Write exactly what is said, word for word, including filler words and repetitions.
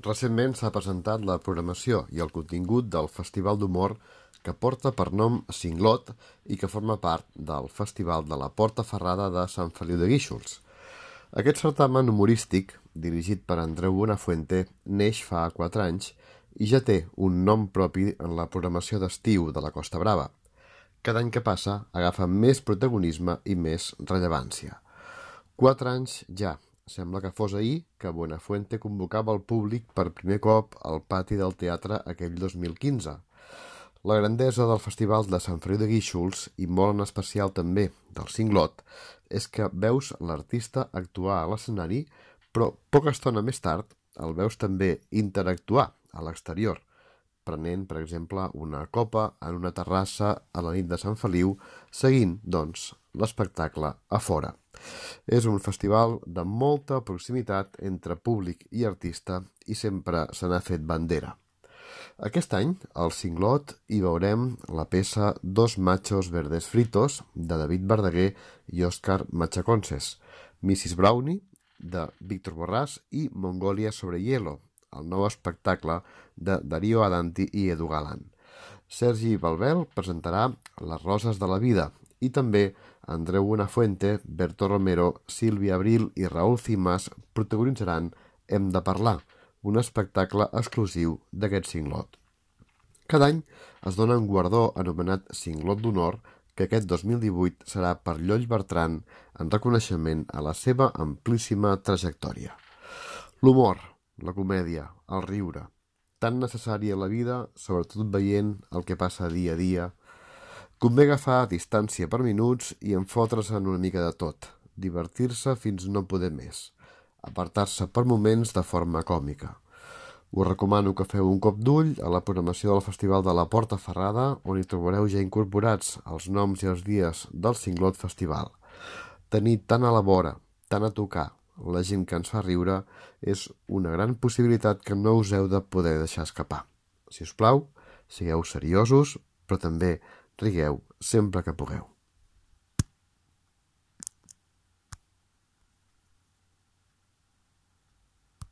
Recentment s'ha presentat la programació i el contingut del Festival d'Humor que porta per nom Singlot i que forma part del Festival de la Porta Ferrada de Sant Feliu de Guíxols. Aquest certamen humorístic, dirigit per Andreu Buenafuente, neix fa quatre anys i ja té un nom propi en la programació d'estiu de la Costa Brava. Cada any que passa agafa més protagonisme i més rellevància. Quatre anys ja. Sembla que fos ahir que Buenafuente convocava el públic per primer cop al pati del teatre aquell dos mil quinze. La grandesa del Festival de Sant Feliu de Guíxols, i molt en especial també del Singlot, és que veus l'artista actuar a l'escenari, però poca estona més tard el veus també interactuar a l'exterior, prenent, per exemple, una copa en una terrassa a la nit de Sant Feliu, seguint, doncs, l'espectacle a fora. És un festival de molta proximitat entre públic i artista i sempre se n'ha fet bandera. Aquest any, al Singlot, hi veurem la peça Dos machos verdes fritos, de David Verdaguer i Òscar Machaconses, missis Brownie, de Víctor Borràs, i Mongolia sobre hielo, el nou espectacle de Darío Adanti i Edu Galán. Sergi Balbel presentarà Les roses de la vida i també Andreu Buenafuente, Berto Romero, Sílvia Abril i Raúl Cimas protagonitzaran Hem de parlar, un espectacle exclusiu d'aquest Singlot. Cada any es dona un guardó anomenat Singlot d'Honor que aquest dos mil divuit serà per Lloll Bertran en reconeixement a la seva amplíssima trajectòria. L'humor, la comèdia, el riure, tan necessari a la vida, sobretot veient el que passa dia a dia. Convé agafar distància per minuts i enfotre's en una mica de tot, divertir-se fins no poder més, apartar-se per moments de forma còmica. Us recomano que feu un cop d'ull a la programació del Festival de la Porta Ferrada, on hi trobareu ja incorporats els noms i els dies del Singlot Festival. Tenir tant a la vora, tant a tocar, la gent que ens fa riure, és una gran possibilitat que no us heu de poder deixar escapar. Si us plau, sigueu seriosos, però també rigueu sempre que pugueu.